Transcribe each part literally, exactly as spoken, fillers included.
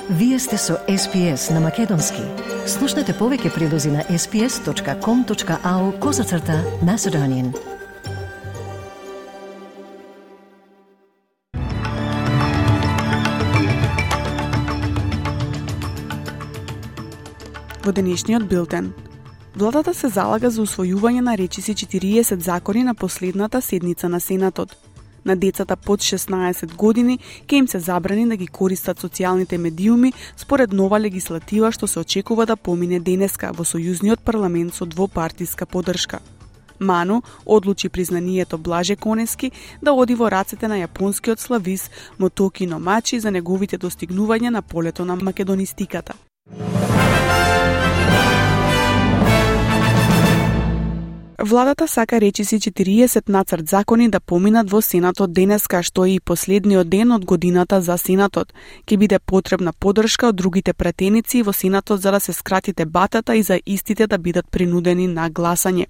Вие сте со Ес Пи Ес на Македонски. Слушнете повеќе прилози на ес пи ес точка ком точка ау козацрта Macedonian. Во денешниот билтен. Владата се залага за усвојување на речиси четириесет закони на последната седница на Сенатот. На децата под шеснаесет години ќе им се забрани да ги користат социјалните медиуми според нова легислатива што се очекува да помине денеска во Сојузниот парламент со двопартиска поддршка. Ману одлучи признанието Блаже Конески да оди во рацете на јапонскиот славист Мотоки Номачи за неговите достигнувања на полето на македонистиката. Владата сака речиси четириесет нацрт закони да поминат во Сенатот денеска, што е и последниот ден од годината за Сенатот. Ќе биде потребна поддршка од другите пратеници во Сенатот за да се скрати дебатата и за истите да бидат принудени на гласање.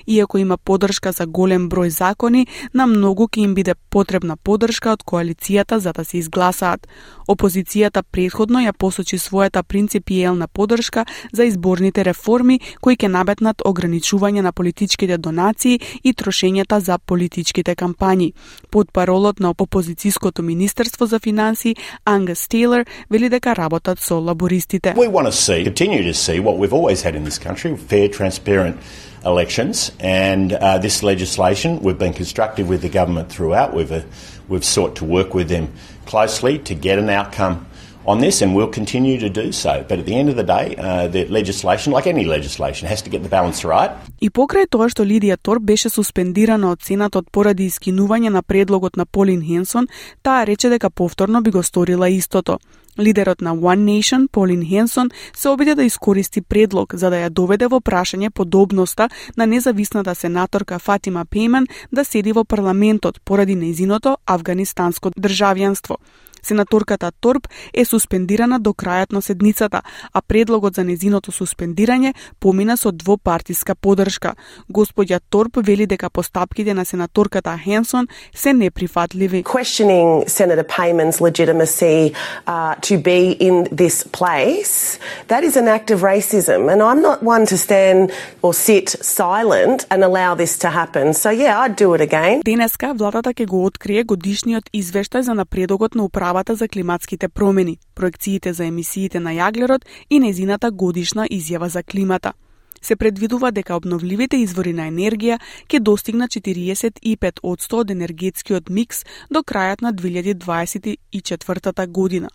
Иако има поддршка за голем број закони, на многу ќе им биде потребна поддршка од коалицијата за да се изгласаат. Опозицијата претходно ја посочи својата принципиелна поддршка за изборните реформи кои ќе набетнат ограничување на политичките донации и трошењата за политичките кампањи. Потпаролот на опозицијското министерство за финансии Ангус Тейлор вели дека работат со лабористите. We want to see, continue to see what we've always had in this country, fair, transparent elections, and uh, this legislation, we've been constructive with the government throughout. We've uh, we've sought to work with them closely to get an outcome on this, and we'll continue to do so. But at the end of the day, uh, the legislation, like any legislation, has to get the balance right. И покрај тоа што Лидија Торп беше суспендирана од Сенатот поради искинување на предлогот на Полин Хенсон, таа рече дека повторно би го сторила истото. Лидерот на One Nation, Полин Хенсон, се обиде да искористи предлог за да ја доведе во прашање подобноста на независната сенаторка Фатима Пейман да седи во парламентот поради нејзиното афганистанско државјанство. Сенаторката Торп е суспендирана до крајот на седницата, а предлогот за нејзиното суспендирање помина со двопартиска поддршка. Господја Торп вели дека постапките на сенаторката Хенсон се неприфатливи. Questioning Senator Payman's legitimacy uh, to be in this place, that is an act of racism, and I'm not one to stand or sit silent and allow this to happen. So yeah, I'd do it again. Денеска владата ќе го открие годишниот извештај за напредокот на управата за климатските промени, проекциите за емисиите на јаглерод и нејзината годишна изјава за климата. Се предвидува дека обновливите извори на енергија ќе достигнат четириесет и пет одсто од енергетскиот микс до крајот на две илјади дваесет и четвртата година.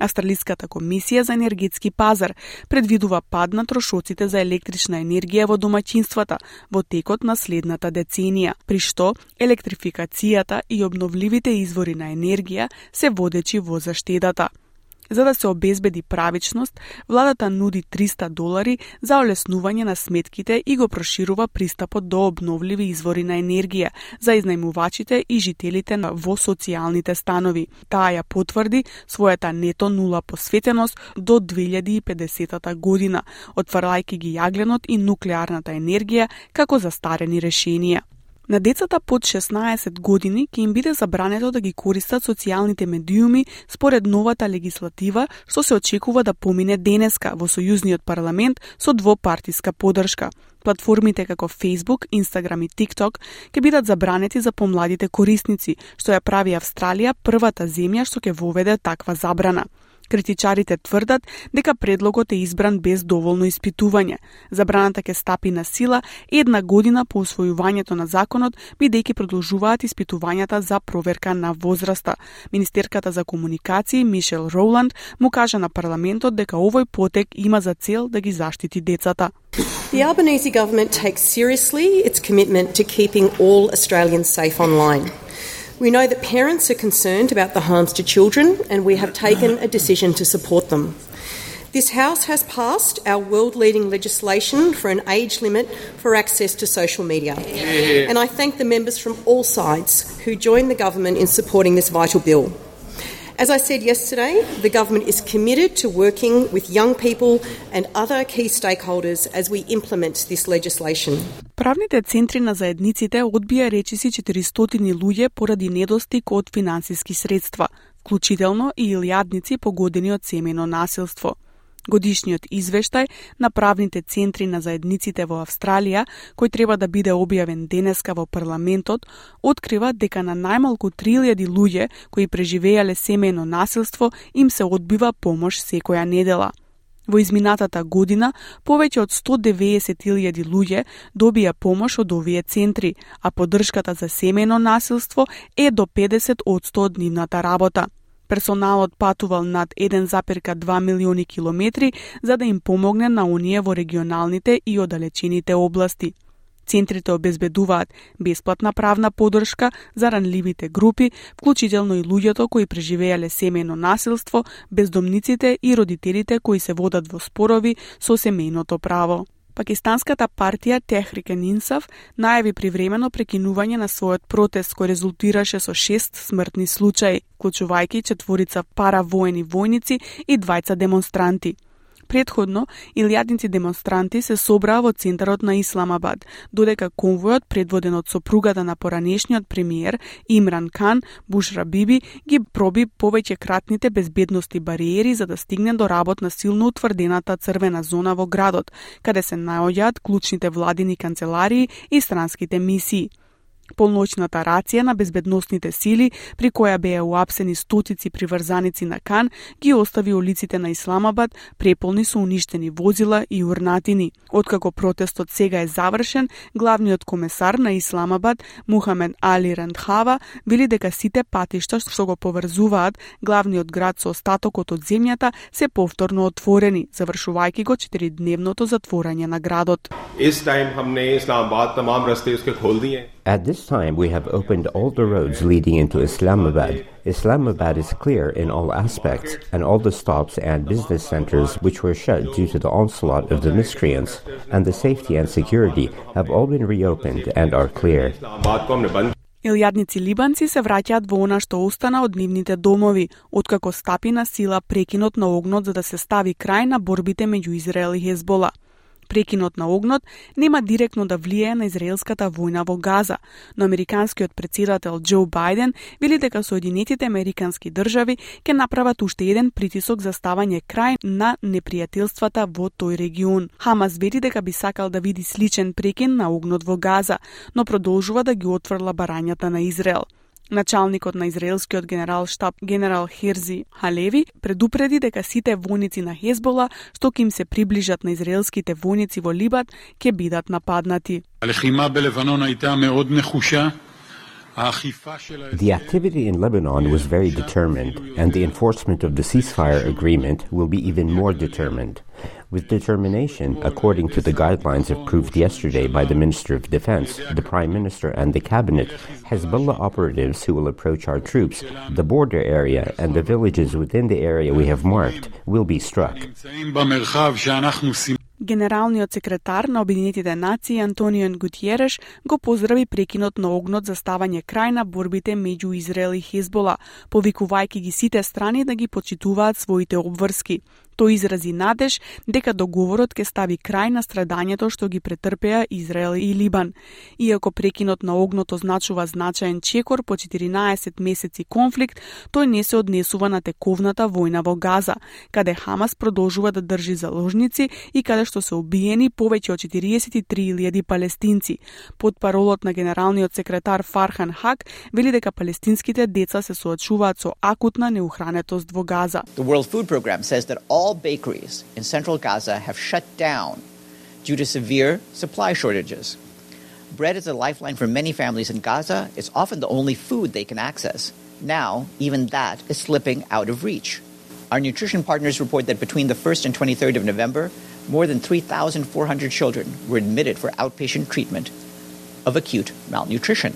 Австралиската комисија за енергетски пазар предвидува пад на трошоците за електрична енергија во домаќинствата во текот на следната деценија, при што електрификацијата и обновливите извори на енергија се водечи во заштедата. За да се обезбеди правичност, владата нуди триста долари за олеснување на сметките и го проширува пристапот до обновливи извори на енергија за изнајмувачите и жителите во социјалните станови. Таа ја потврди својата нето нула посветеност до две илјади и педесетата година, отварајќи ги јагленот и нуклеарната енергија како застарени решенија. На децата под шеснаесет години ќе им биде забрането да ги користат социјалните медиуми според новата легислатива што се очекува да помине денеска во Сојузниот парламент со двопартиска поддршка. Платформите како Facebook, Instagram и TikTok ќе бидат забранети за помладите корисници, што ја прави Австралија првата земја што ќе воведе таква забрана. Критичарите тврдат дека предлогот е избран без доволно испитување. Забраната ќе стапи на сила една година по усвојувањето на законот, бидејќи продолжуваат испитувањата за проверка на возраста. Министерката за комуникации Мишел Роланд му кажа на парламентот дека овој потек има за цел да ги заштити децата. The Albanese government takes seriously its commitment to keeping all Australians safe online. We know that parents are concerned about the harms to children, and we have taken a decision to support them. This House has passed our world-leading legislation for an age limit for access to social media. Yeah. And I thank the members from all sides who joined the government in supporting this vital bill. As I said yesterday, the government is committed to working with young people and other key stakeholders as we implement this legislation. Правните центри на заедниците одбија речиси четиристотини луѓе поради недостиг од финансиски средства. вклучително и илјадници погодени од семејно насилство. Годишниот извештај на правните центри на заедниците во Австралија, кој треба да биде објавен денеска во парламентот, открива дека на најмалку три илјади луѓе кои преживеале семејно насилство им се одбива помош секоја недела. Во изминатата година, повеќе од сто деведесет илјади луѓе добија помош од овие центри, а поддршката за семејно насилство е до педесет одсто од нивната работа. Персоналот патувал над еден зарез два милиони километри за да им помогне на оние во регионалните и оддалечените области. Центрите обезбедуваат бесплатна правна поддршка за ранливите групи, вклучително и луѓето кои преживеале семејно насилство, бездомниците и родителите кои се водат во спорови со семејното право. Пакистанската партија Техрик-ен Инсаф најави привремено прекинување на својот протест кој резултираше со шест смртни случаи, вклучувајќи четворица паравоени војници и двајца демонстранти. Предходно, илјадници демонстранти се собраа во центарот на Исламабад, додека конвојот предводен од сопругата на поранешниот премиер Имран Кан, Бушра Биби, ги проби повеќе кратните безбедности бариери за да стигне до работна силно утврдената црвена зона во градот, каде се наоѓаат клучните владини канцеларии и странските мисии. Полноќната рација на безбедносните сили, при која беа уапсени стотици приврзаници на Кан, ги остави улиците на Исламабад преполни со уништени возила и урнатини. Откако протестот сега е завршен, главниот комесар на Исламабад, Мухамед Али Рандхава, вели дека сите патишта што го поврзуваат главниот град со остатокот од земјата се повторно отворени, завршувајќи го четиридневното затворање на градот. At this time, we have opened all the roads leading into Islamabad. Islamabad is clear in all aspects, and all the stops and business centers which were shut due to the onslaught of the miscreants, and the safety and security have all been reopened and are clear. Илјадници либанци се враќаат во она што остана од нивните домови, откако стапи на сила прекинот на огнот за да се стави крај на борбите меѓу Израел и Хезбола. Прекинот на огнот нема директно да влијае на израелската војна во Газа, но американскиот претседател Џо Бајден вели дека Соединетите американски држави ќе направат уште еден притисок за ставање крај на непријателствата во тој регион. Хамас вели дека би сакал да види сличен прекин на огнот во Газа, но продолжува да ги отфрла барањата на Израел. Началникот на израелскиот генерал штаб генерал Херзи Халеви предупреди дека сите војници на Хезбола што ќе им се приближат на израелските војници во Либан ќе бидат нападнати. The activity in Lebanon was very determined, and the enforcement of the ceasefire agreement will be even more determined. With determination, according to the guidelines approved yesterday by the Minister of Defense, the Prime Minister and the Cabinet, Hezbollah operatives who will approach our troops, the border area and the villages within the area we have marked will be struck. Генералниот секретар на Обединетите нации Антонио Гутиереш го поздрави прекинот на огнот за ставање крај на борбите меѓу Израел и Хезбола, повикувајќи ги сите страни да ги почитуваат своите обврски. Тој изрази надеж дека договорот ќе стави крај на страдањето што ги претрпеа Израел и Либан. Иако прекинот на огнот означува значаен чекор по четиринаесет месеци конфликт, тој не се однесува на тековната војна во Газа, каде Хамас продолжува да држи заложници и каде што се убиени повеќе од четириесет и три илјади палестинци. Потпаролот на генералниот секретар Фархан Хак вели дека палестинските деца се соочуваат со акутна неухранетост во Газа. The World Food Program says that all bakeries in central Gaza have shut down due to severe supply shortages. Bread is a lifeline for many families in Gaza. It's often the only food they can access. Now, even that is slipping out of reach. Our nutrition partners report that between the first and twenty-third of November, more than three thousand four hundred children were admitted for outpatient treatment of acute malnutrition.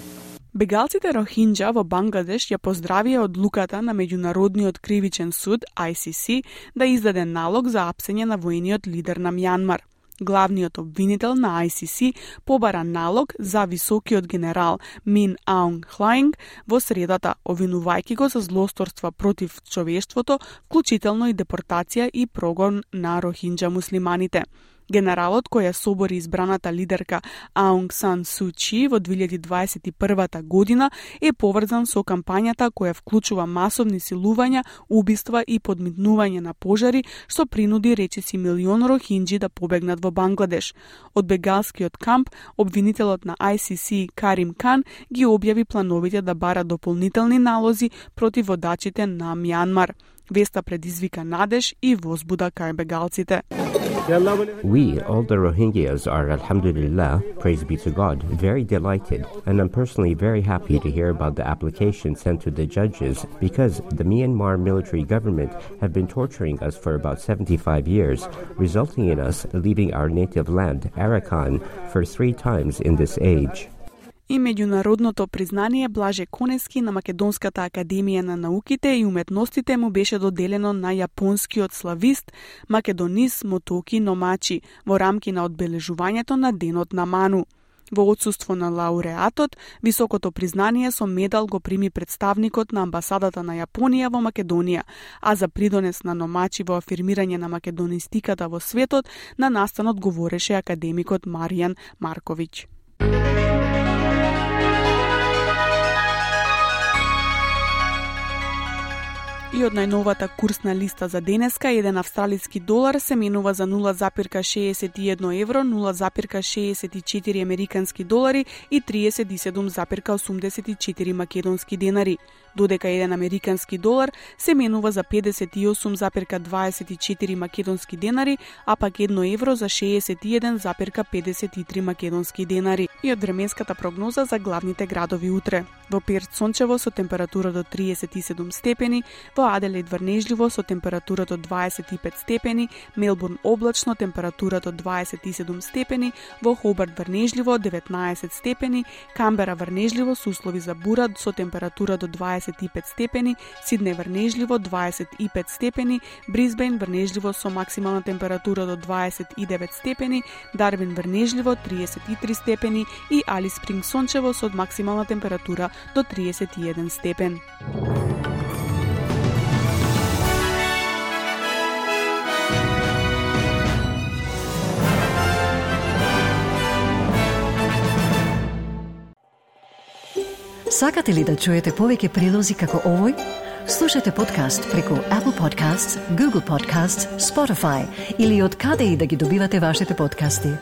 Бегалците Рохинџа во Бангладеш ја поздравија одлуката на Меѓународниот кривичен суд I C C да издаде налог за апсење на воениот лидер на Мјанмар. Главниот обвинител на I C C побара налог за високиот генерал Мин Аунг Хлаинг во средата, обвинувајќи го за злосторства против човештвото, вклучително и депортација и прогон на Рохинџа муслиманите. Генералот кој ја собори избраната лидерка Аунг Сан Су Чи во две илјади дваесет и првата година е поврзан со кампањата која вклучува масовни силувања, убиства и подмитнување на пожари, што принуди речиси милион рохинџи да побегнат во Бангладеш. Од бегалскиот камп, обвинителот на Ай Си Си Карим Кан ги објави плановите да бара дополнителни налози против водачите на Мјанмар. Веста предизвика надеж и возбуда кај бегалците. We, all the Rohingyas, are, alhamdulillah, praise be to God, very delighted, and I'm personally very happy to hear about the application sent to the judges because the Myanmar military government have been torturing us for about seventy-five years, resulting in us leaving our native land, Arakan, for three times in this age. И меѓународното признание Блаже Конески на Македонската академија на науките и уметностите му беше доделено на јапонскиот славист Македонис Мотоки Номачи во рамки на одбележувањето на Денот на Ману. Во отсуство на лауреатот, високото признание со медал го прими представникот на амбасадата на Јапонија во Македонија, а за придонес на Номачи во афирмирање на македонистиката во светот, на настанот говореше академикот Маријан Марковиќ. И од најновата курсна листа за денеска, еден австралиски долар се менува за нула запирка шеесет и едно евро, нула запирка шеесет и четири американски долари и триесет и седум запирка осумдесет и четири македонски денари, додека еден американски долар се менува за педесет и осум запирка дваесет и четири македонски денари, а пак едно евро за шеесет и еден запирка педесет и три македонски денари. И од временската прогноза за главните градови утре. Во Перт сончево со температура до триесет и седум степени, во Аделаид врнежливо со температура до дваесет и пет степени, Мелбурн облачно температура до дваесет и седум степени, во Хобарт врнежливо деветнаесет степени, Камбера врнежливо со услови за бура со температура до дваесет и пет степени, Сиднеј врнежливо дваесет и пет степени, Брисбејн врнежливо со максимална температура до дваесет и девет степени, Дарвин врнежливо триесет и три степени и Алис Спринг сончево со максимална температура до триесет и еден степен. Сакате ли да чуете повеќе прилози како овој? Слушате подкаст преку Apple Podcasts, Google Podcasts, Spotify или од каде и да ги добивате вашите подкасти.